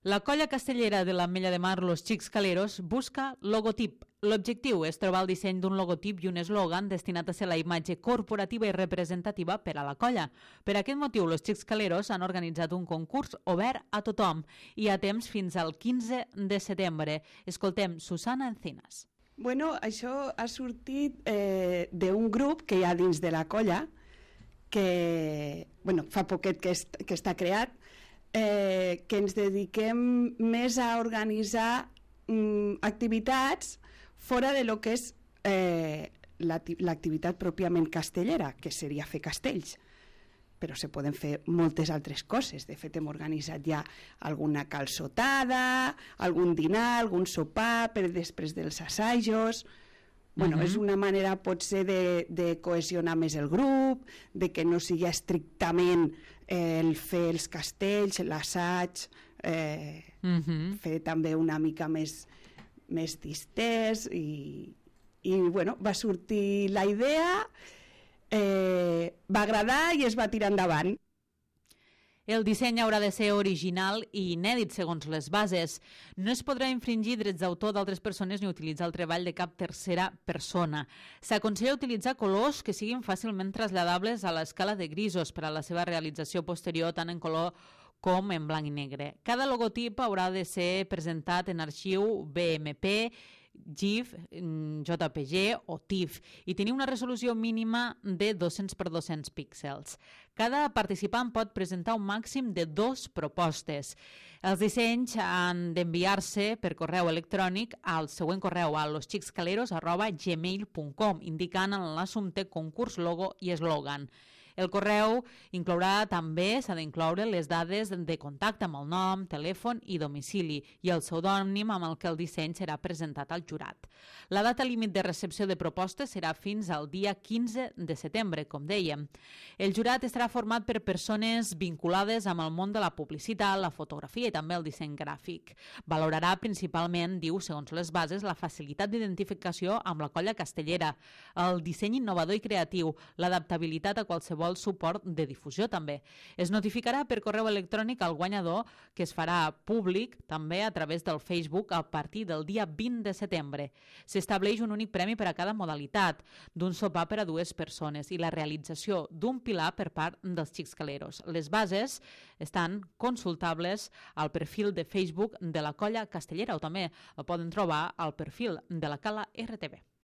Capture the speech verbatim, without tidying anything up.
La colla castellera de l'Ametlla de Mar Los Xics Caleros busca logotip. L'objectiu és trobar el disseny d'un logotip i un eslògan destinat a ser la imatge corporativa i representativa per a la colla. Per aquest motiu, Los Xics Caleros han organitzat un concurs obert a tothom i a temps fins al quinze de setembre. Escoltem Susana Encinas. Bueno, això ha sortit eh, d'un grup que hi ha dins de la colla, que bueno, fa poquet que, est que està creat, eh, que ens dediquem més a organitzar mm, activitats fora de lo que és eh, l'activitat pròpiament castellera, que seria fer castells. Però se poden fer moltes altres coses. De fet, hem organitzat ja alguna calçotada, algun dinar, algun sopar per després dels assajos. Bueno, uh-huh. És una manera potser de, de cohesionar més el grup, de que no sigui estrictament eh, el fer els castells, l'assaig, eh, uh-huh. fer també una mica més, més distès i, i bueno, va sortir la idea, eh, va agradar i es va tirar endavant. El disseny haurà de ser original i inèdit segons les bases. No es podrà infringir drets d'autor d'altres persones ni utilitzar el treball de cap tercera persona. S'aconsella utilitzar colors que siguin fàcilment traslladables a l'escala de grisos per a la seva realització posterior tant en color com en blanc i negre. Cada logotip haurà de ser presentat en arxiu B M P, GIF, J P G o TIFF i tenir una resolució mínima de dos-cents per dos-cents píxels. Cada participant pot presentar un màxim de dos propostes. Els dissenys han d'enviar-se per correu electrònic al següent correu a losxicscaleros arroba gmail punt com indicant en l'assumpte concurs, logo i eslògan. El correu inclourà també, s'ha d'incloure les dades de contacte amb el nom, telèfon i domicili i el pseudònim amb el que el disseny serà presentat al jurat. La data límit de recepció de propostes serà fins al dia quinze de setembre, com dèiem. El jurat estarà format per persones vinculades amb el món de la publicitat, la fotografia i també el disseny gràfic. Valorarà principalment, diu, segons les bases, la facilitat d'identificació amb la colla castellera, el disseny innovador i creatiu, l'adaptabilitat a qualsevol suport de difusió també. Es notificarà per correu electrònic al guanyador, que es farà públic també a través del Facebook a partir del dia vint de setembre. S'estableix un únic premi per a cada modalitat, d'un sopar per a dues persones i la realització d'un pilar per part dels Xics Caleros. Les bases estan consultables al perfil de Facebook de la colla castellera o també el poden trobar al perfil de la Cala R T V.